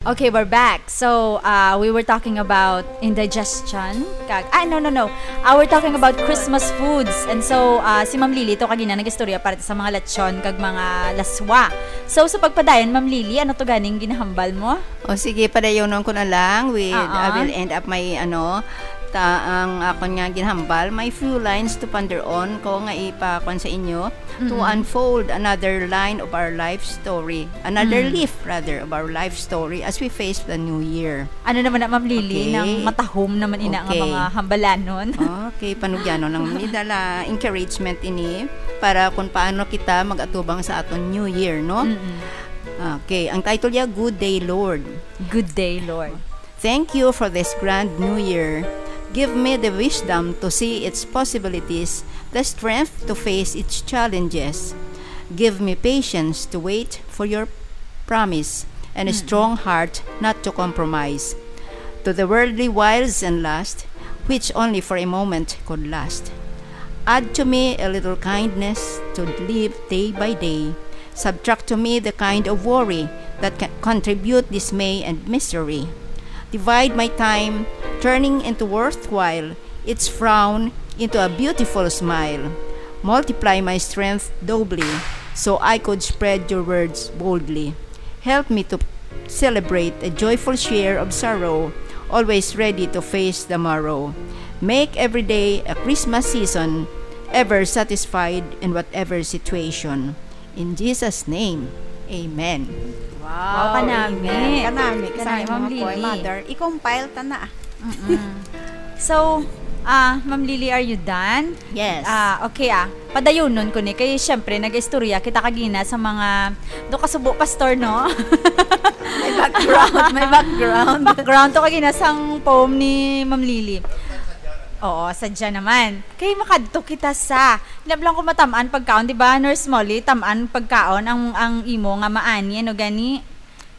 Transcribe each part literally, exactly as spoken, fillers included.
Okay, we're back. So, uh, we were talking about indigestion. Kag, ah, no, no, no. Uh, we're talking about Christmas foods. And so, uh, si Ma'am Lily to kagina nag-istorya para sa mga lechon kag mga laswa. So, sa pagpadayon, Ma'am Lily, ano to ganing ginahambal mo? O sige, padayonon ko na lang with, Oo. I will end up my, ano, ta-, ang akon nga ginhambal, my few lines to ponder on ko nga ipakon sa inyo, to Mm-mm. unfold another line of our life story, another Mm. leaf, rather, of our life story as we face the new year. Ano naman na, Ma'am Lily, Okay. nang matahom naman ina nga Okay. mga hambalanon? Okay, panugyanon lang. May dala encouragement ini para kung paano kita mag-atubang sa aton New Year, no? Mm-mm. Okay, ang title niya, Good Day, Lord. Good day, Lord. Thank you for this grand new year. Give me the wisdom to see its possibilities, the strength to face its challenges. Give me patience to wait for your promise and a Mm. strong heart not to compromise to the worldly wiles and lust, which only for a moment could last. Add to me a little kindness to live day by day. Subtract to me the kind of worry that can contribute dismay and misery. Divide my time, turning into worthwhile its frown into a beautiful smile. Multiply my strength doubly, so I could spread your words boldly. Help me to celebrate a joyful share of sorrow, always ready to face the morrow. Make every day a Christmas season, ever satisfied in whatever situation. In Jesus' name, amen. Wow, Wow, kanami. amen. Kanami, Kanami, kanami, Ma'am mga poy Lily. mother. I-compile ta na. Mm-mm. So, ah, Ma'am Lily, are you done? Yes. Ah, okay, ah. Padayonon ko ni. Kay, syempre, nag-istorya kita kagina sa mga do kasubo, pastor, no? May background, may background. Background to kagina sang poem ni Ma'am Lily. Oo, sadya naman. Kay makadto kita sa, hinablang ko matamaan pagkaon, di ba, Nurse Molly? Tamaan pagkaon ang, ang imo nga maani, ano gani?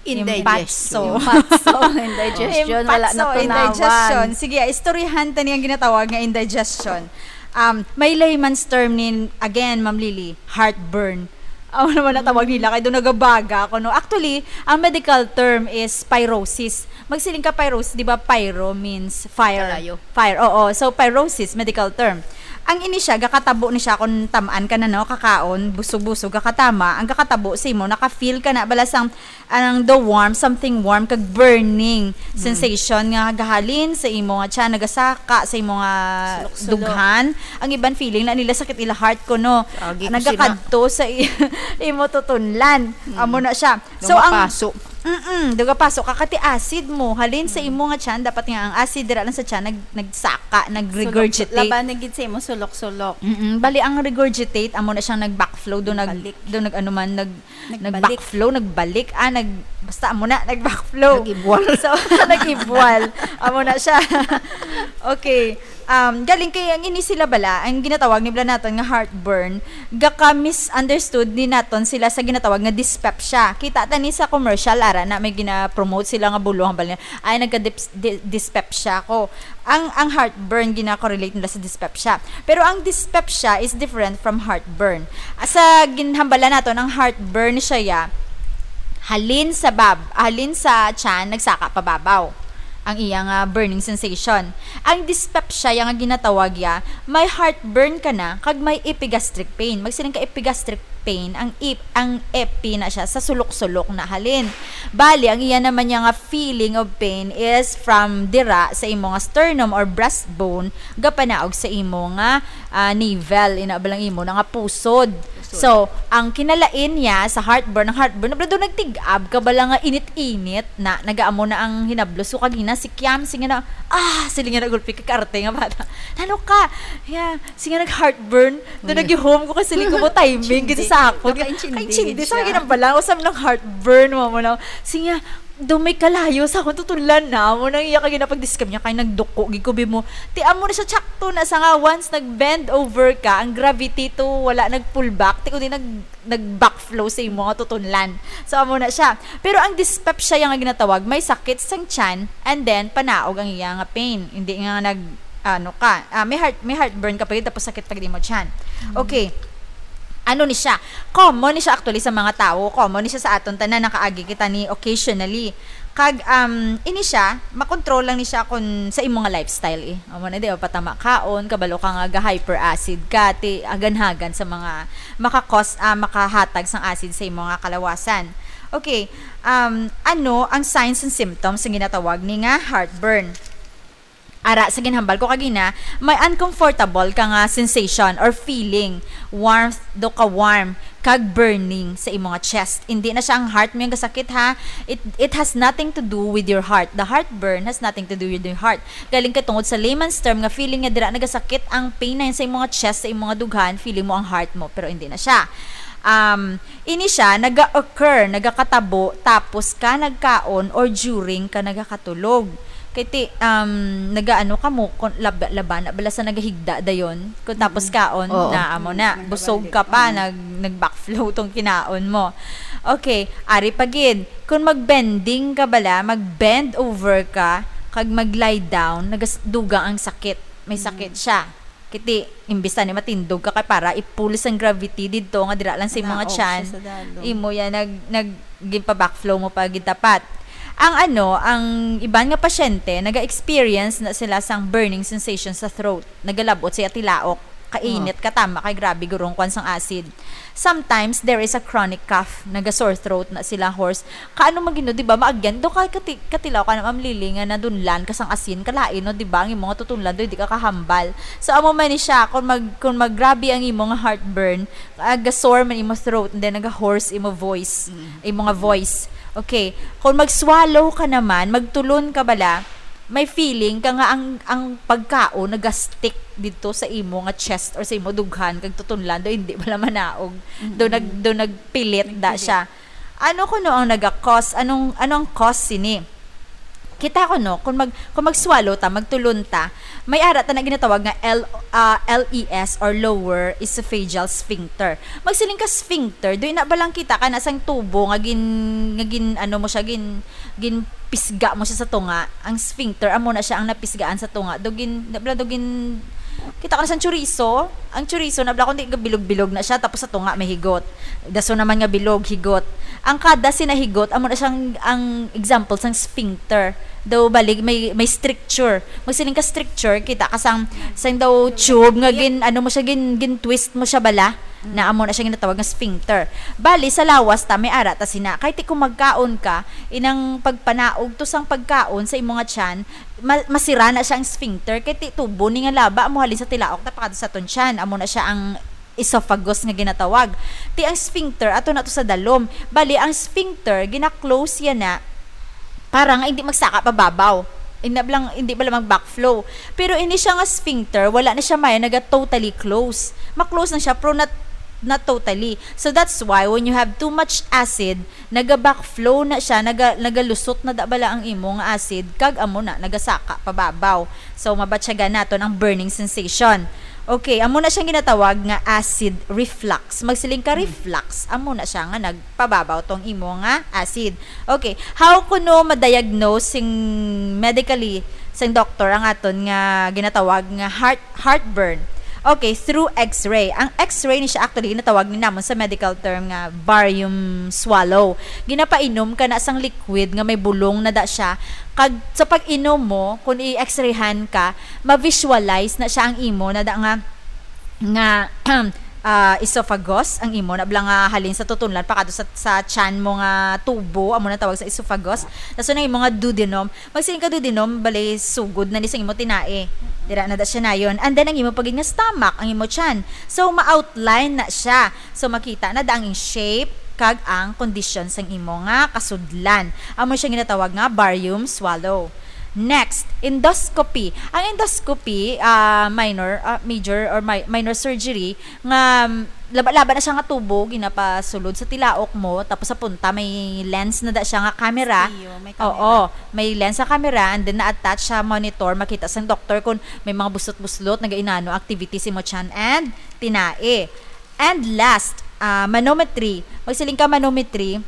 Indigestion. Impatso. Impatso, indigestion, wala Impatso, natunawan. indigestion. Sige, istoryahan ta ni ang ginatawag nga indigestion. Um, may layman's term ni, again, Ma'am Lily, heartburn. Amo naman ang tawag nila, kay do nagabaga ako, no? Actually, ang medical term is pyrosis. Magsiling ka pyrosis, di ba? Pyro means fire. Kalayo. Fire, oo. So, pyrosis, medical term. Ang ini siya, gakatabo ni siya kung tamaan ka na, no? Kakaon, busog-busog, gakatama. Ang gakatabo sa imo, naka-feel ka na, bala sang, ang the warm, something warm, kag burning Mm. sensation nga gahalin sa imo nga tiyan, nagasaka sa imo nga Sulok-sulok. dughan. Ang iban feeling na nila sakit ila heart ko, no? Agi ko Nagakadto sa i-, imo tutunlan. Mm. Amo na siya. So, ang Dumapaso. Mm-mm, dugapaso. Kakati acid mo. Halin sa Mm. imo nga tiyan, dapat nga ang acid dira lang sa tiyan, nag-, nagsaka, nag-regurgitate. Sulok-, laban na gid sa imo, sulok-sulok. Mm-mm. Bali, ang regurgitate, amo na siyang nag-backflow, do nag-, Nagbalik. do nag-, ano man, nag-, Nagbalik. nag-backflow, nagbalik. Ah, nag-, basta amo na, nag-backflow. Nag-ibwal. So, nag-ibwal. Amo na siya. Okay. Um, galing kay ang ini sila bala, ang ginatawag ni bala naton nga heartburn, gaka-misunderstood ni naton sila sa ginatawag nga dyspepsia. Kita ta ni sa commercial, ara na may gina-promote sila nga buluhan bala, "Ay, nagka-dips-, di-, dyspepsia ko." Ang, ang heartburn gina-correlate nila sa dyspepsia. Pero ang dyspepsia is different from heartburn. Sa ginhambala naton, ang heartburn siya ya, halin sa bab-, halin sa tiyan, nagsaka pababaw ang iya nga burning sensation. Ang dyspepsia ya nga ginatawag ya, may heartburn ka na, kag may epigastric pain. Magsiling ka epigastric pain, ang ep-, ang epi na siya sa sulok-sulok na halin. Bali, ang iya naman niya nga feeling of pain is from dira sa imo nga sternum or breastbone, gapanaog sa imo nga, ah, navel, ina ba lang imo na nga pusod. Pusod. So, ang kinalain niya sa heartburn, ang heartburn, nabla daw nagtig-ab ka bala nga init-init na, nagaamo na ang hinablo. So, kagina si Kiam, sige na, ah, siling nga nagulpi ka karte nga bata. Ano ka? Yeah, sige nag-heartburn. Do Mm. nag-home ko kasi ko mo timing, Chindi. gid sa ako. Nakaintindi Kaintindi gid sa siya. akin ang bala. Usam ng heartburn mo mo na. Sige, do may kalayo sa akong tutulan na. Mo nang iya ka ginapag-describe niya, kay nagduko, gid ko bi mo. Ti amo na siya, tsakto na sa nga, once nag-bend over ka, ang gravity to, wala nag-pull back. Ti kundi nag-, nag-backflow sa imo nga tutunlan. So, amo na siya. Pero ang dyspepsia yang nga ginatawag, may sakit sang tiyan, and then, panaog ang iya nga pain. Hindi nga nag, ano ka, ah, may heart, may heartburn ka pa gid, tapos sakit pa gid imo tiyan. Mm. Okay. Ano ni siya? Common ni siya actually sa mga tawo. Common ni siya sa aton tanan, nakaagi kita ni occasionally. Kag, um, ini siya, makontrol lang ni siya kung sa imo nga lifestyle, eh. Amo na, di ba, patama kaon, kabalo ka nga ga-hyperacid ka, ti aganhagan sa mga makakos-, ah, makahatag sang acid sa imo nga kalawasan. Okay, um, ano ang signs and symptoms nga ginatawag ni nga heartburn? Ara, sa ginhambal ko kagina, may uncomfortable ka nga sensation or feeling, warmth, do ka warm, kag burning sa imo nga chest. Hindi na siya ang heart mo yung gasakit, ha. It, it has nothing to do with your heart. The heartburn has nothing to do with your heart. Galing ka tungod sa layman's term nga feeling nga dira nagasakit ang pain na yun sa imo nga chest, sa imo nga dughan, feeling mo ang heart mo, pero hindi na siya. Um, ini siya, naga-occur, nagakatabo, tapos ka nagkaon or during ka nagakatulog. Kay ti, um, nagaano ka mo, kon-, lab-, laban na bala sa nagahigda dayon. Kung tapos Mm. kaon, Oo. na amo na, Mm, busog ka pa, nagabalik. nag-, nag-backflow tong kinaon mo. Okay, ari pa gid. Kung mag-bending ka bala, mag-bend over ka, kag mag-lie down, nagas-, dugang ang sakit. May Mm. sakit siya. Kiti, imbis na ni matindog ka kay para i-pull sang gravity didto nga dira lang sa imong Naog siya chan. sa dalom. Imo yan, nag-, nag-, ginpa-backflow mo pa gitapat. Ang ano, ang iban nga pasyente, naga-experience na sila sang burning sensation sa throat. Nagalabot siya tilaok. Kainit, Oh. katama, kay grabe gurong kwan sang acid. Sometimes, there is a chronic cough. Naga-sore throat na sila, hoarse. Kaano man gid, no, di ba? Maagyan, do ka kati-, katilaw ka na, Ma'am Lily, nga nadunlan ka sang asin, kalain, no, di ba? Ang imo nga tutunlan, do, di ka kahambal. So, amo man ni siya, kung mag-, kung maggrabe ang imo nga heartburn, aga-sore man imo throat, and then naga-hoarse imo voice, Mm. imo nga voice. Okay. Kung mag-swallow ka naman, magtulon ka bala, may feeling ka nga ang, ang pagkaon naga-stick dito sa imo nga chest or sa imo dughan, kag tutunlan, do, hindi bala manaog. Do, Mm. nag-, do, nagpilit da Nagpilit. siya. Ano kuno ang naga-cause? Anong, anong cause sini? Kita ko, no, kung mag-, kung mag-swallow ta, magtulon ta, may ara ta na ginatawag nga L-, ah, L E S or lower esophageal sphincter. Magsiling ka sphincter, do ina ba lang kita ka na sang tubo nga gin-, nga gin-, ano mo siya, gin-, ginpisga mo siya sa tunga. Ang sphincter, amo na siya ang napisgaan sa tunga. Do gin-, na bala, do gin-, kita ka na sang chorizo. Ang chorizo, na bala, kundi bilog-bilog na siya, tapos sa tunga may higot. Daso naman nga bilog, higot. Ang kada sinahigot, amo na siyang, ang example sang sphincter. Daw balig, may, may stricture. Magsiling ka stricture, kita ka sang, sang daw tube nga gin, ano mo siya, gin, gin-twist mo siya bala. Mm. Na amo na siya ginatawag nga sphincter. Bali, sa lawas ta, may ara ta sina. Kay ti kung magkaon ka, inang pagpanaog to sang pagkaon sa imo nga tiyan, ma-, masira na siya ang sphincter. Kay ti tubo ni nga laba, amo halin sa tilaok, tapakado sa aton tiyan. Amo na siya ang esophagus nga ginatawag. Ti ang sphincter, ato na to sa dalom. Bali, ang sphincter, gina-close yan na, para nga hindi magsaka pababaw. Hindi bala, hindi bala mag-backflow. Pero ini siya nga sphincter, wala na siya may naga totally close. Ma-close na siya, pero not, not totally. So that's why when you have too much acid, naga-backflow na siya, naga-, nagalusot na da bala ang imo nga acid, kag amo na, nagasaka pababaw. So, mabatyagan naton ang burning sensation. Okay, amo na siyang ginatawag nga acid reflux. Magsiling ka Hmm. reflux, amo na siya nga nagpababaw tong imo nga acid. Okay, how kuno ma-diagnose sing medically sang doktor ang aton nga ginatawag nga heart, heartburn? Okay, through X-ray. Ang X-ray ni siya actually ginatawag ni namon sa medical term nga barium swallow. Ginapainom ka na sang liquid nga may bulong na da siya. Kag sa pag-inom mo, kung i-X-rayhan ka, ma-visualize na siya ang imo na da nga, nga, ah, esophagus, ang imo na bala nga halin sa tutunlan pakadto sa, sa tiyan mo nga tubo, amo na tawag sa esophagus. Tapos ang imo nga duodenum, magsiling ka duodenum, bali sugod na ni sa imo tinae. Dira na da siya nayon. And then ang imo pagid nga stomach, ang imo tiyan. So, ma-outline na siya. So, makita na da ang shape kag ang kondisyon sang imo nga kasudlan. Amo siya ginatawag nga barium swallow. Next, endoscopy. Ang endoscopy, ah, minor, ah, major or mi-, minor surgery nga, um, laba-laba na siya nga tubo, ginapasulod sa tilaok mo, tapos sa punta may lens na da siya nga camera. Striyo, may Oo, camera. May lens sa camera, and then na-attach sa monitor, makita sang doktor kung may mga buslot-buslot, nagainano activity sa imo tiyan and tinae. And last, ah, manometry. Magsiling ka manometry,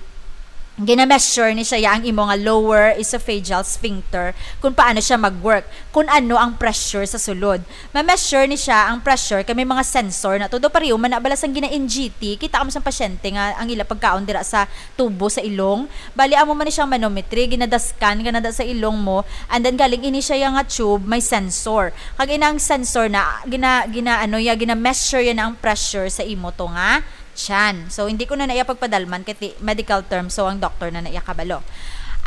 gina-measure ni siya ya ang imo nga lower esophageal sphincter, kung paano siya mag-work, kung ano ang pressure sa sulod. Ma-measure ni siya ang pressure kay may mga sensor na todo, pareho man na bala sang gina-N G T. Kita mo sang pasyente nga ang ila pagkaon dira sa tubo sa ilong. Bali, amo man ni siyang manometry, ginadaskan ka na da sa ilong mo, and then galing ini siya ya nga tube, may sensor. Kag inang sensor na, gina, gina, ano ya, gina-measure ya na ang pressure sa imo to nga tiyan. So, hindi ko na na iya pagpadalman kay ti-, medical term, so ang doktor na na iya kabalo.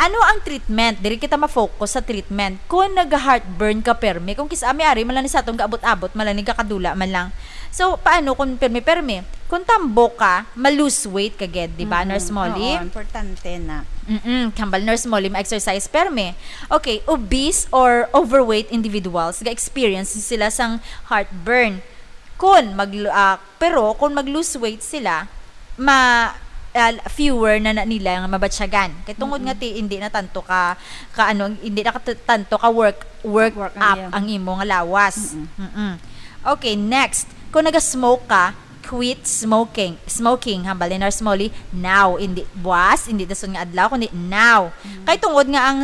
Ano ang treatment? Diri kita ma-focus sa treatment. Kung nag-heartburn ka permi, kung kis-a may ari man lang ni sa atong gaabot-abot, man lang ni kakadula man lang. So, paano kung permi-permi? Kung tambo ka, ma-lose weight ka gid, di ba, Mm-mm. Nurse Molly? Oo, importante na. Mm-mm. Hambal, Nurse Molly, ma-exercise permi. Okay, obese or overweight individuals, ga-experience sila sang heartburn. Kung mag-, ah, pero kung mag-lose weight sila, ma-, ah, fewer na, na nila nga mabatyagan. Kay tungod Mm-mm. nga ti, hindi na tanto ka, ka ano, hindi na ka t-, tanto ka work, work Work ang up iya. ang imo nga lawas. Mm-mm. Mm-mm. Okay, next. Kung naga-smoke ka, quit smoking. Smoking, hambal ni Nurse Molly, now. Hindi buwas, hindi dason nga adlaw, kundi now. Mm. Kay tungod nga ang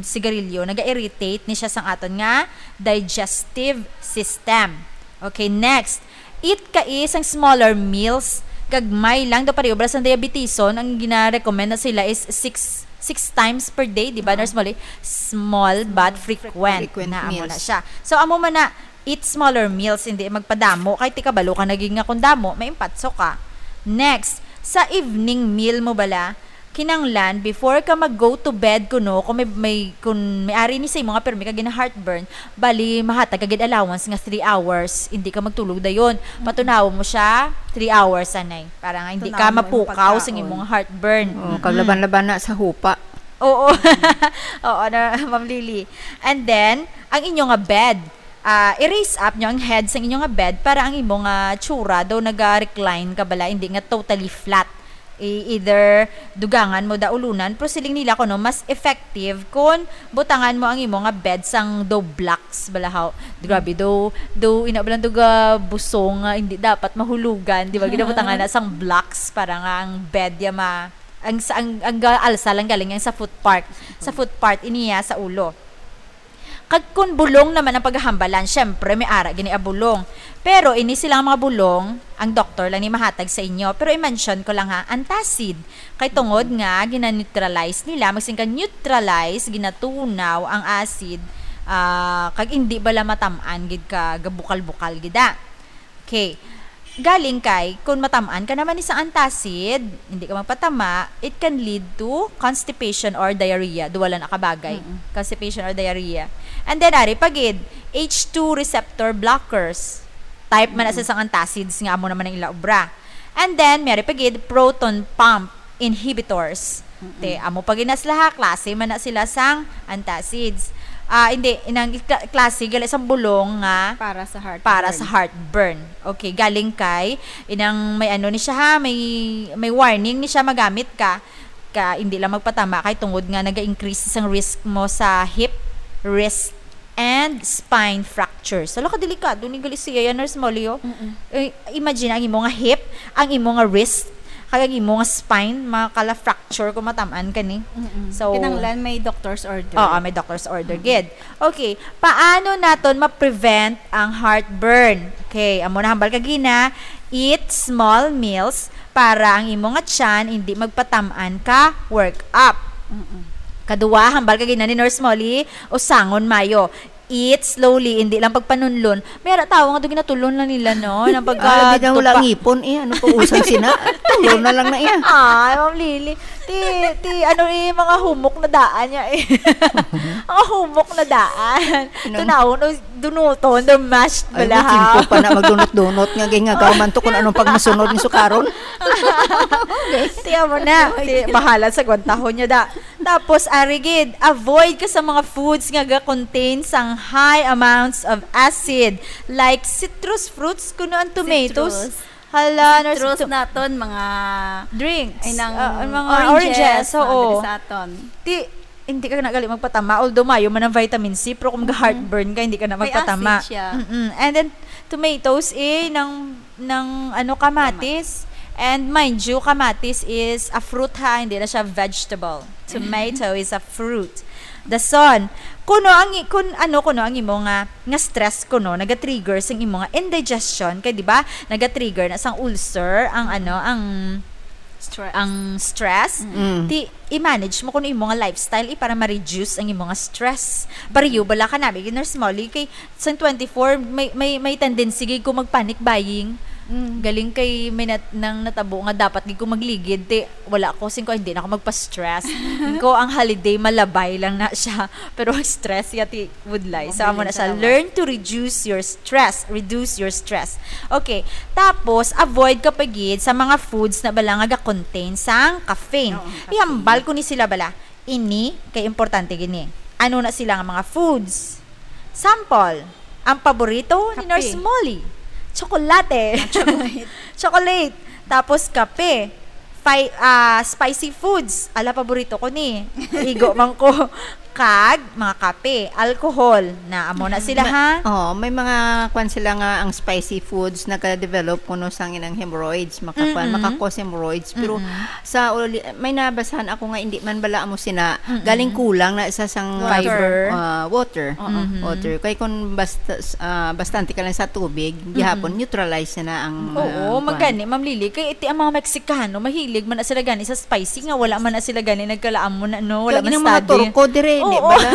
sigarilyo, naga-irritate ni siya sang aton nga digestive system. Okay, next. Eat ka isang smaller meals. Gagmay lang daw, pareho bala sang diabetison, ang gina-recommend na sila is six, six times per day, di ba, Oo. Nurse Molly? Small but Small, frequent. frequent Frequent Na, amo na meals. siya. So, amo man na, eat smaller meals, hindi magpadamo. Kay ti kabalo ka na gid nga kung damo, maimpatso ka. Next, sa evening meal mo bala, kinanglan, before ka mag-go to bed kuno, kung may, may, kung may ari ni sa imo nga permi ka gina-heartburn, bali, mahatag ka gid allowance nga three hours, hindi ka magtulog dayon. Mm-mm. Patunawon mo siya, three hours anay. Para nga hindi ka Tunawon mo yung mapukaw sa pagkaon. imong heartburn. Oo, Mm-mm. kaglaban-laban na sa hupa. Oo. Oo, na, Ma'am Lily. And then, ang inyo nga bed, ah, i-raise up nyo ang head sa inyo nga bed para ang imo nga tsura daw naga-recline ka bala, hindi nga totally flat. I-, either dugangan mo da ulunan, pero siling nila kuno mas effective kung butangan mo ang imo nga bed sang daw blocks bala, haw. Grabe, daw, daw, ina bala, daw ga busong nga hindi dapat mahulugan, di ba? Ginabutangan na sang blocks para nga ang bed ya ma-, ang sa, ang, ang ga-alsa lang galing yang sa foot part. Sa foot part, iniya sa ulo. Kag kun bulong naman ang paghambalan, syempre, may ara gini a bulong. Pero ini sila nga mga bulong, ang doktor lang ni mahatag sa inyo. Pero i-mention ko lang ha, antacid. Kay tungod nga, gina-neutralize nila, magsin ka neutralize, ginatunaw ang acid, ah, kag hindi bala matam-an gid ka gabukal-bukal gid, ah. Okay. Galing kay, kung matam-an ka naman ni sa antacid, hindi ka magpatama, it can lead to constipation or diarrhea. Duwa lang na kabagay. Mm-mm. Constipation or diarrhea. And then, ari pa gid, H two receptor blockers. Type man na Mm-mm. sa sang antacids nga amo naman ang ila obra. And then, may ari pa gid, proton pump inhibitors. Mm-mm. Te, amo pa gid na sila ha, klase man na sila sang antacids. Ah, hindi, inang kla-, klase gali sang bulong nga Para sa heartburn. para sa heartburn. Okay, galing kay, inang may ano ni siya ha, may, may warning ni siya magamit ka. Ka, hindi lang magpatama kay tungod nga naga-increase sang risk mo sa hip, wrist, and spine fractures. Hala, kadelikado ni gali siya yan, Nurse Molly, oh. Mm-mm. Eh, imagine, ang imo nga hip, ang imo nga wrist, kag ang imo nga spine, makala-fracture kung matam-an ka ni. Mm-mm. So, Kinahanglan may doctor's order. Oo, may doctor's order Mm-mm. gid. Okay, paano naton ma-prevent ang heartburn? Okay, amo na hambal kagina, eat small meals para ang imo nga tiyan hindi magpatam-an ka work up. Mm-mm. Kadua, hambal kagina ni Nurse Molly, usangon mayo. Eat slowly, hindi lang pagpanunlon. May ara tawo nga do ginatulon lang nila, no? Nang pagka Ah, labi na wala dupa. ngipon, eh. Ano pa usang sina? Tulon na lang na iya. Ay, Ma'am Lily. Ti, ti, ano, eh, mga humok na daan niya, eh. Mga humok na daan. Inang Tunaw, no, dunuton, the mashed Ay, bala, may ha? Tiempo pa na magdunot-dunot nga, gay nga gaw man to kung anong pagmasunod ni sukaron. Tiyan mo na. Ti, bahala sa gwantahon niya, da. Tapos, ari gid, avoid ka sa mga foods nga ga-contain sang high amounts of acid, like citrus fruits, kuno ang tomatoes. Citrus. Hala, nurse, Citrus to- naton, mga Drinks. ay, nang Ah, ang mga oranges, oranges, mga oo. diri sa aton. Ti, hindi ka na gali magpatama, although mayo man ang vitamin C, pero kung Mm-mm. ga-heartburn ka, hindi ka na May magpatama. acid siya. Mm-mm. And then, tomatoes, eh, ng, ng, ano, kamatis. And mind you, kamatis is a fruit ha, hindi na siya vegetable. Tomato is a fruit. Dason, kuno ang i-, kun ano kuno ang imo nga, nga stress kuno naga-trigger sang imo nga indigestion kay, di ba, naga-trigger na sang ulcer ang ano, ang Stress. ang stress. Mm. Ti i-manage mo kuno imo nga lifestyle, eh, para ma-reduce ang imo nga stress. Pareho bala ka nami, Nurse Molly, kay sang twenty-four, may, may, may tendency gid ko mag-panic buying. Mm. Galing kay may nat-, nang natabo nga dapat gid ko magligid, ti wala ko, singko, hindi na ako magpa-stress. Singko, ang holiday, malabay lang na siya. Pero ang stress, yati, would lie. So, amo na siya. Learn to reduce your stress. Reduce your stress. Okay. Tapos, avoid ka pa gid sa mga foods na bala nga ga-contain sang caffeine. Oo, caffeine. Ihambal ko ni sila bala. Ini kay importante gini. Ano na sila nga mga foods? Sample, ang paborito ni Kape. Nurse Molly, tsokolate. Ah, chocolate. Chocolate. Tapos kape. Fi-, ah, spicy foods. Ala, paborito ko ni. Igo man ko. Kag mga kape, alcohol, na amo na sila, ha? Oh, may mga kwan sila nga ang spicy foods nagka-develop kuno sang inang hemorrhoids, makakuan, Mm-mm. maka-cause hemorrhoids. Pero Mm-mm. sa uli, may nabasahan ako nga hindi man bala amo sina, Mm-mm. galing kulang na sa sang Water. ah, water. Oo. Mm-hmm. Water. Kay kung basta, ah, bastante ka lang sa tubig, Mm-mm. gihapon, neutralize na ang, Oo, ah, kwan. magani, Ma'am Lily. Kay iti ang mga Meksikano, mahilig man na sila gani sa spicy nga wala man na sila gani nagkalaamon na, no? Wala Kag man inang mga study. Turko, dire, di Oo. ba la?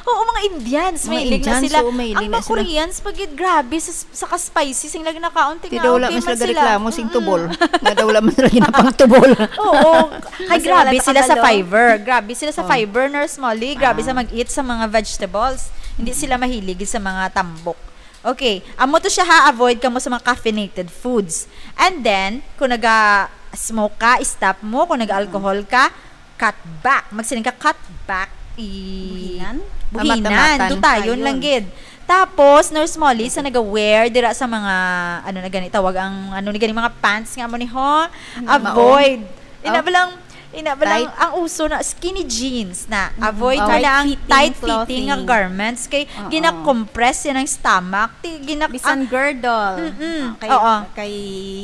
Oo, mga Indians, Mga mahilig na Indians, sila. oo, mahilig Ang na mga sila. Koreans, pag yun, grabe sa, sa ka-spicy, sing lagi nakaon, Ti tingaw, daw wala di man man sila sila. reklamo sing Mm-mm. tubol. Nga daw wala man sila ginapang tubol. Oo. Ay, Kasi grabe wala sila sa nakabalo. fiber. Grabe sila sa Oh. fiber, Nurse Molly. Grabe sa Ah. mag-eat sa mga vegetables. Hindi sila mahilig sa mga tambok. Okay. Amo to siya ha, avoid kamo sa mga caffeinated foods. And then, kung naga-smoke ka, stop mo. Kung naga-alcohol ka, cut back. Magsiling ka, cut back. I-, Buhinan? buhinan. Mamat-amatan. Dutayon Ayun. lang gid. Tapos, Nurse Molly, sa naga-wear, dira sa mga, ano na gani, tawag ang, ano na gani, mga pants nga mo ni ho, Ano? avoid. Ina Oh. ba lang, ina ba lang, Tight. ang uso na skinny jeans na. Mm. Avoid mo Tight na ang fitting tight fitting nga clothing. garments. Kay Oo. gina-compress yan ang stomach. Ti-, gina-, Bisan ah, girdle. Mm-mm. Ah, kay, Oo. kay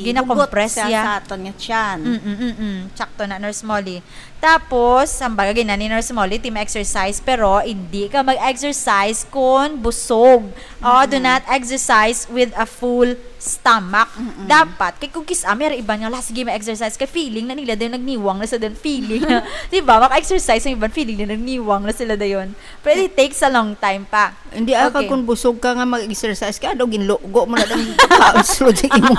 Gina-compress hugot siya ya. sa aton nga tiyan. Mm-mm, mm-mm. Tsakto na, Nurse Molly. Tapos, ang bagay na ni Nurse Molly, ti ma-exercise, pero hindi ka mag-exercise kung busog. Oh, do Mm-mm. not exercise with a full stomach. Mm-mm. Dapat, kay kung kis-, ah, may iban nga, "Lah, sige, ma-exercise." Kay feeling na nila din, nagniwang na sa din, feeling na, di ba? Maka-exercise ang iban, feeling na nagniwang na sila dayon. Pero it takes a long time pa. Hindi, ah, Okay. kag kung busog ka nga mag-exercise ka, daw ginlugo mo na lang kaon sulod sa imo.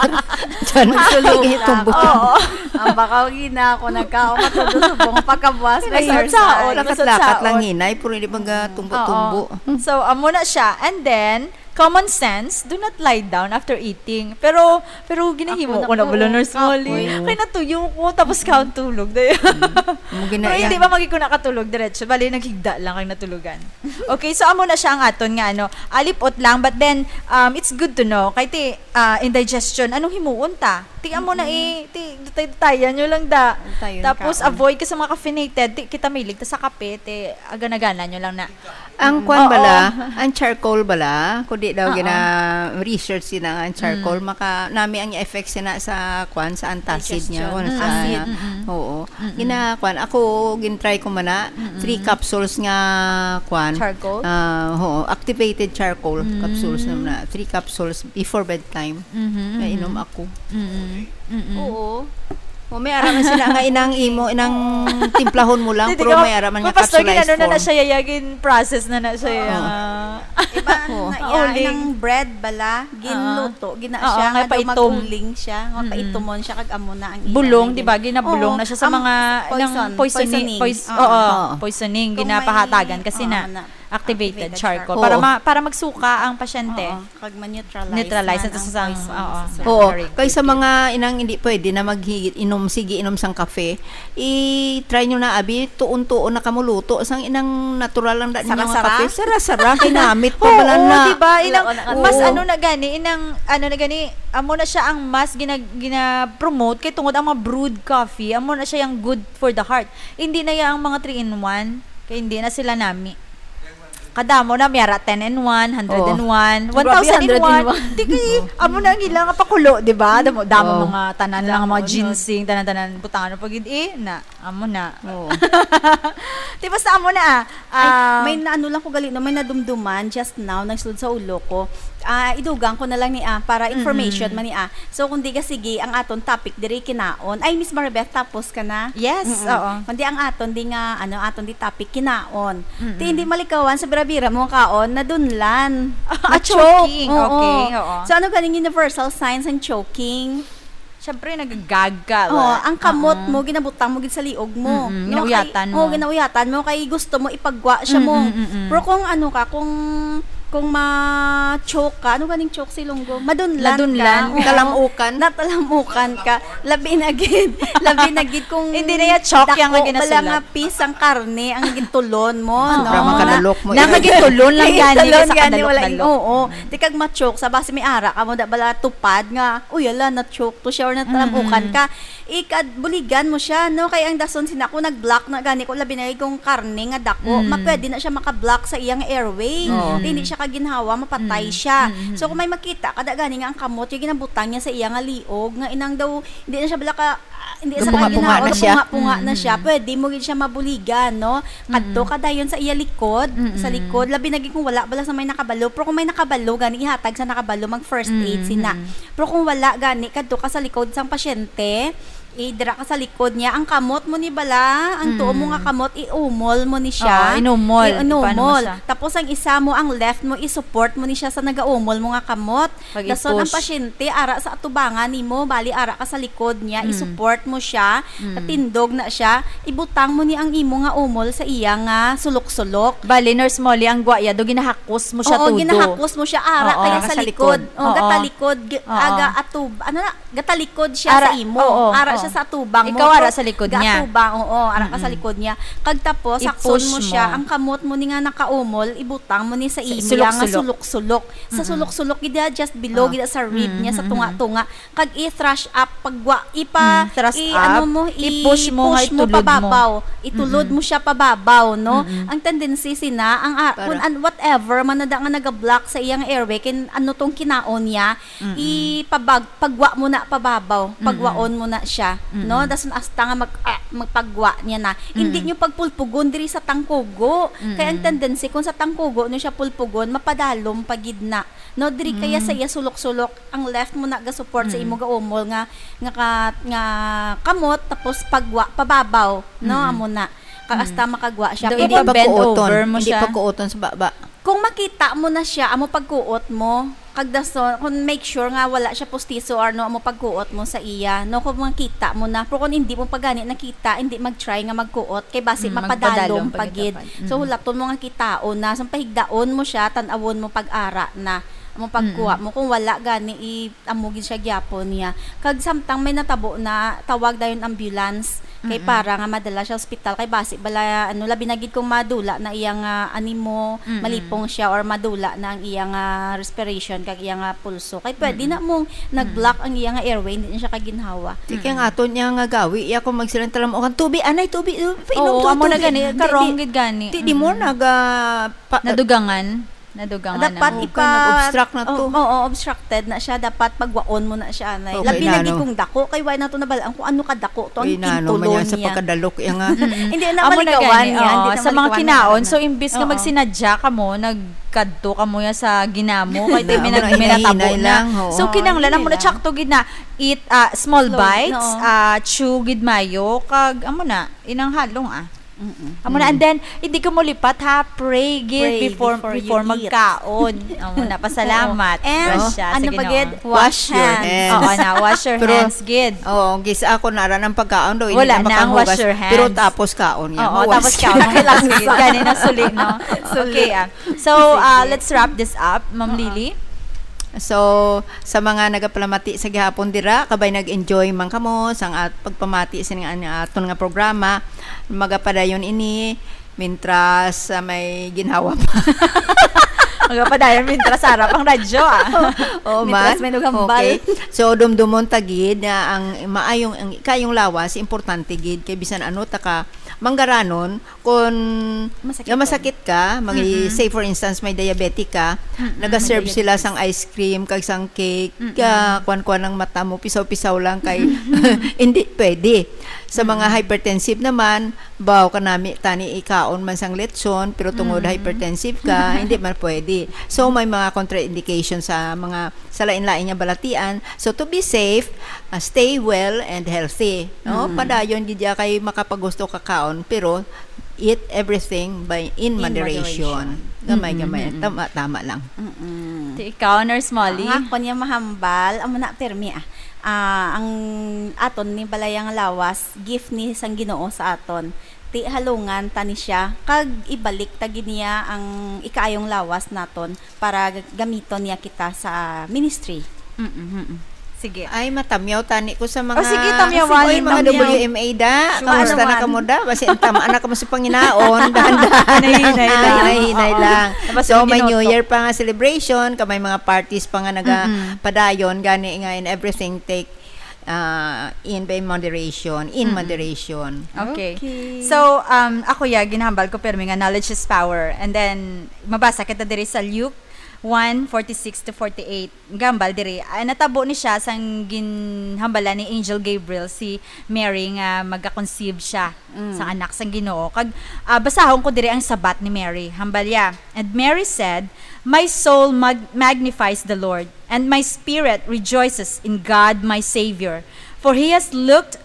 Diyan, Magsulog kay ka. tumbo-tumbo. Oo. Ang baka gina ako nagkaon, matudo subong pagkabuas, may Ay, exercise. saon, Lakat-lakat masutsaon. lang hinay, pero hindi mag, ah, tumbo-tumbo. Oo. So, amo na siya. And then, common sense, do not lie down after eating. Pero, pero ginahimo Ako ko na na po, pala, Nurse Molly. kapoy. Kay natuyo ko, tapos kaon tulog. Dayon. Mm. Amo gina-, Pero hindi yan. pa magi ko nakatulog diretso. Bali, naghigda lang kag natulugan. Okay, so amo na siya ang aton nga, ano, alipot lang. But then, um, it's good to know. Kay ti, ah, indigestion, anong himuon ta? Ti amo na Mm-mm. eh, ti, dutay-dutayan nyo lang da. Dutayon Tapos, kaon. avoid ka sa mga caffeinated. Ti, kita mahilig ta sa kape, ti, agana-gana nyo lang na. Ang Mm. kwan Oo. bala, ang charcoal bala, kundi daw Oo. gina-research sila nga ang charcoal, Mm. maka-, nami ang effects sina sa kwan, sa antacid niya, Digestion. o sa, Acid. Mm-mm. oo. Mm-mm. Gina-, kwan, ako, gin-try ko man na, Mm-mm. three capsules nga, kwan, Charcoal? ah, oo, activated charcoal Mm. capsules naman na, three capsules before bedtime. Mhm, Nainom mhm. ako. Mm-mm. Mm-mm. Oo. O, may ara man sila nga inang imo, inang timplahon mo lang, Hindi pero ka may ara man nga mapastor, capsulized ginano na na form. siya, yayagin process na na siya, Oo. ya. Iba Oo. na, ya, Uling. inang bread bala, ginluto, gina Oo, siya, nga nga daw paitom. mag-uling siya, nga Mm-mm. paitomon siya, kag amo na ang Bulong, ilang di ba? Ginabulong Oo, na siya sa am-, mga, poison, nang poisoni-, poisoning. pois-, Oo. oo, Oo. poisoning, Kung may, ginapahatagan kasi oo, na na, activated activated charcoal. charcoal. Para Oo. ma-, para magsuka ang pasyente. Oo. Kag ma-neutralize Neutralize man ito ang sa sang-, poison oo. sa Oo, surgery. kay sa mga inang hindi pwede na mag-inom, sige, inom sang kape, i-try nyo na, abi, tuon-tuon na kamo luto sang inang natural lang da ninyo nga Sara-sara? kape. Sara-sara, kinamit pa Oo, bala na. di ba? Inang, Wala na. mas Oo. ano na gani, inang, ano na gani, amo na siya ang mas gina-, gina-promote kay tungod ang mga brewed coffee, amo na siya yung good for the heart. Hindi na ya ang mga three in one, kay hindi na sila nami. Kadamo na, may ara ten in one, hundred in one, Oh. Grabe, one thousand in one. Hundred in one. Di kay, amo na ang ilang pakulo, di ba? Damo, damo Oh. mga tanan lang, Damo, mga no? Ginseng, tanan-tanan, butangan pa gid eh, na, amo na. Oo. Di basta amo na, ah. Ay, Ah, may naano lang ko gali, no? May nadumduman just now, nagsulod sa ulo ko. Ah, idugang ko na lang ni, ah, para information Mm-mm. man ni, ah. So, kung di ka sige, ang aton topic diri kinaon. Ay, Miss Maribeth, tapos ka na? Yes, Mm-mm. oo. Kundi ang aton di nga, ano, aton di topic, kinaon. Mm-mm. Ti hindi malikawan sa bira-bira mo kaon, nadunlan. Ah, Na-choke. Choking. Oo. Okay, oo. So, ano ganing universal signs ang choking? Siyempre, nagagaga, Oh, wala. ang kamot Oo. mo, ginabutang mo gid sa liog mo. Mm-mm, No, kay, ginauyatan oh, mo. ginauyatan mo, kay gusto mo ipagwa siya mo. Mm-mm, mm-mm. Pero kung ano ka, kung, kung ma-choke ka, ano ganing choke sa Ilonggo? Madunlan Nadunlan. ka. Oo. Talamukan. Natalamukan ka. Labi na gid. Labi na gid kung Hindi na ya choke yang dako lagi bala nasulat. nga piece ang karne ang gintulon mo, Ah. no? Sobra man Na, kadalok mo, na eh. nga gintulon lang gani Gintulon sa gani, wala kadalok-dalok. Oo. Di kag ma-choke sa basi may ara ka mo da bala tupad nga, "Uy, ala, na-choke to siya or natalamukan Mm-mm. ka." Ikad-, buligan mo siya, no? Kay ang dason sina, kung nag-block na gani, kung labi na kung karne nga dako, Mm. ma-, pwede na siya maka-block sa iyang airway. Oo. Di, hindi siya kaginhawa, mapatay Mm. siya. Mm-mm. So, kung may makita ka da gani nga ang kamot, yung ginabutang niya sa iya nga liog, nga inang daw, hindi na siya bala ka, ah, hindi sa Gapunga-punga kaginawa, na siya. gapunga-punga na siya, Mm-mm. pwede mo gid siya mabuligan, no? Kadto Mm-mm. ka dayon sa iya likod, sa Mm-mm. likod, labi na gid kung wala bala sa may nakabalo. Pero kung may nakabalo, gani ihatag sa nakabalo, mag first aid Mm-mm. sina. Pero kung wala gani, kadto ka sa likod sang pasyente, eh, dira ka sa likod niya, ang kamot mo ni bala, ang tuo mo nga Mm. kamot, iumol mo ni siya. Oo, inumol. I-, inumol. Ipano mo siya? Tapos ang isa mo, ang left mo, i-support mo ni siya sa nagaumol mo nga kamot. Pag Dason ang i-push. pasyente, ara sa atubangan nimo, bali ara ka sa likod niya, Mm. i-support mo siya, Mm. natindog na siya, ibutang mo ni ang imo nga umol sa iya nga sulok-sulok. Bali, Nurse Molly, ang gwaya do, ginahakos mo siya Oo, todo. ginahakos mo siya, ara Oo. kaya Ara sa sa likod. likod. Oo, Oo. gatalikod, g-, Oo. aga atub-, ano na, gatalikod siya Ara, sa imo. oo, Ara oo. siya sa atubang mo. Ikaw ara Pero sa likod niya. gaatubang, oo, ara ka sa Mm-mm. likod niya. Kag tapos, hakson I-push mo siya, mo. ang kamot mo ni nga nakaumol, ibutang mo ni sa Sa imo nga sulok-sulok. sulok-sulok. Sa Mm-mm. sulok-sulok, gid, ah, just below, Ah. gid sa rib niya, sa Mm-mm. tunga-tunga. Kag i-thrust up, pagwa, ipa-, Mm, thrust i-, ano up, mo, i-push mo nga i-push mo itulod mo. pababaw. Itulod Mm-mm. mo siya pababaw, no? Mm-mm. Ang tendency sina, ang, ah, Para kung an-, whatever man na da nga naga-block sa iyang airway, kin-, ano tong kinaon niya, Mm-mm. ipabag-, pagwa mo na pababaw, Mm-mm. pagwaon mo na siya, Mm-mm. no? Dason hasta nga mag-, ah, magpagwa niya na. Hindi Mm-mm. nyo pagpulpugon diri sa tangkugo. Kay ang Mm-mm. tendency, kung sa tangkugo nyo siya pulpugon, mapadalom pa gid na. No, diri kaya sa Mm. iya sulok-sulok, ang left mo na ga-support sa Mm. imo gaumol nga, nga ka-, nga kamot, tapos pagwa, pababaw, no? Mm. Amo na. Kag Mm. hasta makagwa siya. Daw Kung Hindi ipa-bend pagkuoton. over mo Hindi siya. pagkuoton sa baba. Kung makita mo na siya, amo pagkuot mo, kag dason, kung make sure nga wala siya pustiso or no, amo pagkuot mo sa iya, no, kung makita mo na. Pero kung hindi mo pa gani nakita, hindi mag-try nga magkuot, kay basi Mm, mapadalom magpadalom pa pa gid gid. dapat. So, Mm. hulaton mo nga kitaon na, so, pahigdaon mo siya, tan-awon mo pag-ara na, amo pagkuha Mm. mo. Kung wala gani, i-, amo gid siya gyapon niya. Kag samtang may natabo na, tawag dayon ambulance. Kay Mm-mm. para nga madala siya ospital, kay basi bala, ano, labi na gid kung madula na iya nga animo, Mm-mm. malipong siya or madula na ang iya nga respiration kag iya nga pulso. Kay pwede Mm-mm. na mong nag-block Mm-mm. ang iya nga airway, hindi na siya kaginhawa. Di kay ang Mm-mm. aton niya nga gawi, iya kung magsilang talam, "O, kang tubi, anay, tubi, uh, painom Oo, to, amo na tubi." gani, Di, karong di, gid gani. di, di mo Mm-mm. naga-, pa-, Nadugangan. Nadugangan Dapat na. Oo, ipa-, kay nag-obstruct na to. Oo, oo, obstructed na siya. Dapat pagwaon mo na siya, anay. Okay, Labi na nano. gid kung dako. Kay wala nato nabalaan kung ano kadako to ang Uy, nano man kintulon yan sa niya. pagkadalok, iya nga. Mm-mm. Hindi na Amo na malikawan gani, niya. oo, Hindi na sa mga malikawan kinaon, niya. so imbis nga Oo. magsinadya kamo, nagkadto kamo ya sa ginamo, kay di Amo may na, nag-, may hinay-hinay natabo na. lang, oo. So, Oo, kinahanglan, amo na hinay lang. tsakto gid na, eat, ah, small Slow, bites, oo. ah, chew gid mayo, kag amo na, inang halong, ah. Mm-mm. Amo na, and Mm. then, hindi ka mo lipat, ha? Pray gid Pray before, before you before eat. magkaon. Amo na, pasalamat. Oo. And, Gracias sa ano pa Ginoo. gid? Wash Wash your hands. hands. Oo na, wash your Pero, hands gid. oo, gis ako na ran ang pagkaon daw, hindi Wala na na ang makahugas. wash your Pero hands. tapos kaon niya. Oo, Mawash tapos ka. kaon. Kailangan Sige, sa gani na suli, no? Suli. Okay, ah. So, Sige. ah, let's wrap this up, Ma'am Oo. Lily. So, sa mga nagapalamati sa gihapon dira, kabay nag-enjoy man kamo sang at-, pagpamati sa nga, nga aton nga programa, magapadayon ini, mintras, ah, may ginhawa pa. Magapadayon mintras harap ang radyo, ah. Oo, Mintras man. may nughambal. Okay. So, dumdumon ta gid na ang maayong, ang kayong lawas, importante gid. Kay bisan ano ta ka, Manggaranon, kung Masakit nga masakit ka, magi, Mm-mm. say for instance, may diabetic ka, Mm-mm, nagaserve may sila diabetes. sang ice cream kag sang cake, Mm-mm. ka kuan-kuan ang mata mo, pisaw-pisaw lang kay hindi pwede. Sa mga hypertensive naman, baw kanami tani ikaon man sang lechon, pero tungod Mm. hypertensive ka, hindi man pwede. So may mga contraindication sa mga sa lain-lain nga balatian. So to be safe, uh, stay well and healthy, no? Mm. Padayon gid ya kay makapagusto ka kaon, pero eat everything by in In moderation. moderation. Gamay-gamay, Mm-mm. tama-tama lang. Mm-mm. Ti ikaw, Nurse Molly? Ang ako niya mahambal, amo na permi ah. Ah, ang aton ni balayang lawas, gift ni sang Ginoo sa aton. Ti halungan ta ni siya, kag ibalik ta gid niya ang ikaayong lawas naton para g- gamiton niya kita sa ministry. Mm-mm. Sige. Ay, matamyaw tani ko sa mga Oh, sige, tamyawan, Oy, mga tamyaw. W M A da. Sure. Kamusta na Naman. kamo da? Basi ang tama na kamo sa panginaon. Dahan-dahan. Hinay-hinay lang. Hinay-hinay Oo. lang. Tapos So, yung may New minuto. Year pa nga celebration, ka may mga parties pa nga naga Mm-mm. padayon, gani nga in everything take uh, in by moderation, in Mm-mm. moderation. Okay. Okay. So, um, ako ya, ginahambal ko permi nga knowledge is power. And then, mabasa kita diri sa Luke one forty-six to forty-eight. Gambal diri. Ah, natabo ni siya sang ginhambalan ni Angel Gabriel si Mary nga magka-conceive siya Mm. sa anak sang Ginoo. Kag ah, basahon ko diri ang sabat ni Mary. Hambal ya, "And Mary said, 'My soul mag- magnifies the Lord, and my spirit rejoices in God my Savior, for he has looked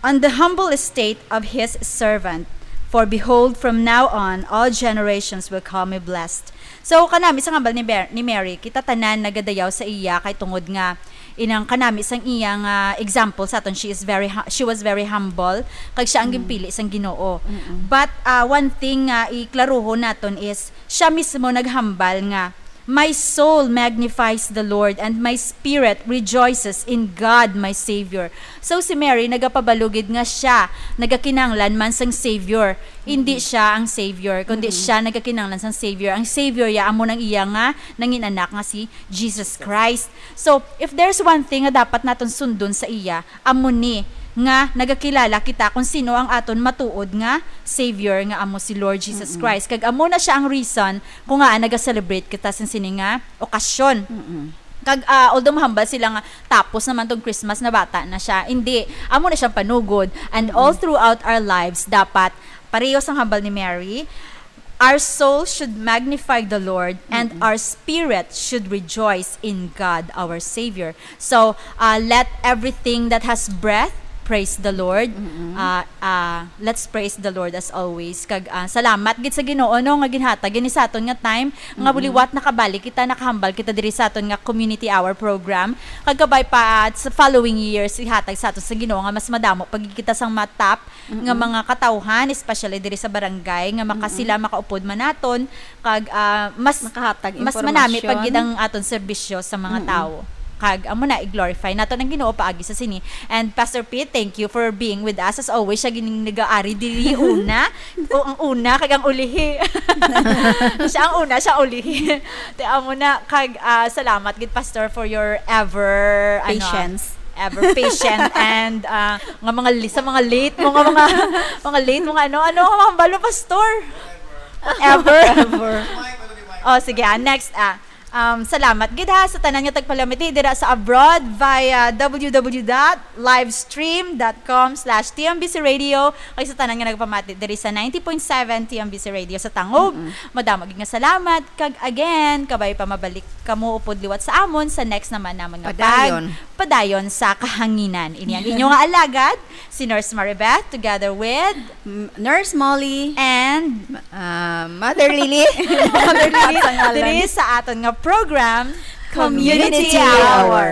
on the humble estate of his servant. For behold, from now on all generations will call me blessed.'" So kanami sa hambal ni, Ber- ni Mary, kita tanan nagadayaw sa iya kay tungod nga inang kanami sang iya nga example sa aton, she is very hu- she was very humble, kag siya ang Mm. ginpili sang Ginoo. Mm-mm. But uh, one thing nga iklaruhon naton is siya mismo naghambal nga, "My soul magnifies the Lord, and my spirit rejoices in God my Savior." So si Mary nagapabalugid nga siya nagakinanglan man sang Savior. Hindi siya ang Savior, kundi Mm-mm. siya nagakinanglan sang Savior. Ang Savior ya amo nang iya nga nangin anak nga si Jesus Christ. So, if there's one thing nga dapat naton sundon sa iya, amo ni nga nagakilala kita kung sino ang aton matuod nga Savior, nga amo si Lord Jesus Mm-mm. Christ. Kag amo na siya ang reason kung ngaa naga-celebrate kita sa sini nga okasyon. Mm-mm. Kag ah, although mahambal sila nga tapos naman tong Christmas, na bata na siya, hindi, amo na siyang panugod. And all throughout our lives, dapat pareho sang hambal ni Mary, our soul should magnify the Lord, and Mm-mm. our spirit should rejoice in God our Savior. So, uh, let everything that has breath praise the Lord. Mm-mm. Uh, uh, let's praise the Lord as always. Kag uh, salamat gid sa Ginoo, no, nga ginhatag gini sa aton nga time nga Mm-mm. buliwat nakabalik kita, nakahambal kita diri sa aton nga community hour program. Kag kabay pa uh, sa following years, ihatag sa aton sa Ginoo nga mas madamo pa gid kita sang matap nga Mm-mm. mga katawhan, especially diri sa barangay, nga maka Mm-mm. sila makaupod man naton, kag ah, mas Makahatag mas manami impormasyon. pa gid ang aton serbisyo sa mga Mm-mm. tawo. Kag amo na, i-glorify naton ang Ginoo paagi sa sini. And Pastor Pete, thank you for being with us as always. Siya gining nag-aari diri una. O ang una kag ang ulihi. Siya ang una, siya ang ulihi. Te amo na, kag ah, salamat gid, Pastor, for your ever ano, Patience. ever patient and ah, nga mga li- sa mga late mo nga mga mga late mo nga ano ano ang mahambal mo, Pastor? Ever. Ever. Oh, sige, ah, next ah. Um, salamat gid ha sa tanan nga tagpalamati dira sa abroad via w w w dot livestream dot com slash t m b c radio, kag sa tanan nga nagpamati diri sa ninety point seven T M B C Radio sa Tangub. Mm-mm. Madamo gid nga salamat, kag again, kabay pa mabalik kamo upod liwat sa amon sa next naman namon nga Padayon. pag padayon sa kahanginan. Ini ang inyo nga alagad, si Nurse Maribeth, together with M- Nurse Molly. and Ah, Mother Lily. Mother Lily, Sa ngalan. diri sa aton nga program, Community Community Hour. Hour.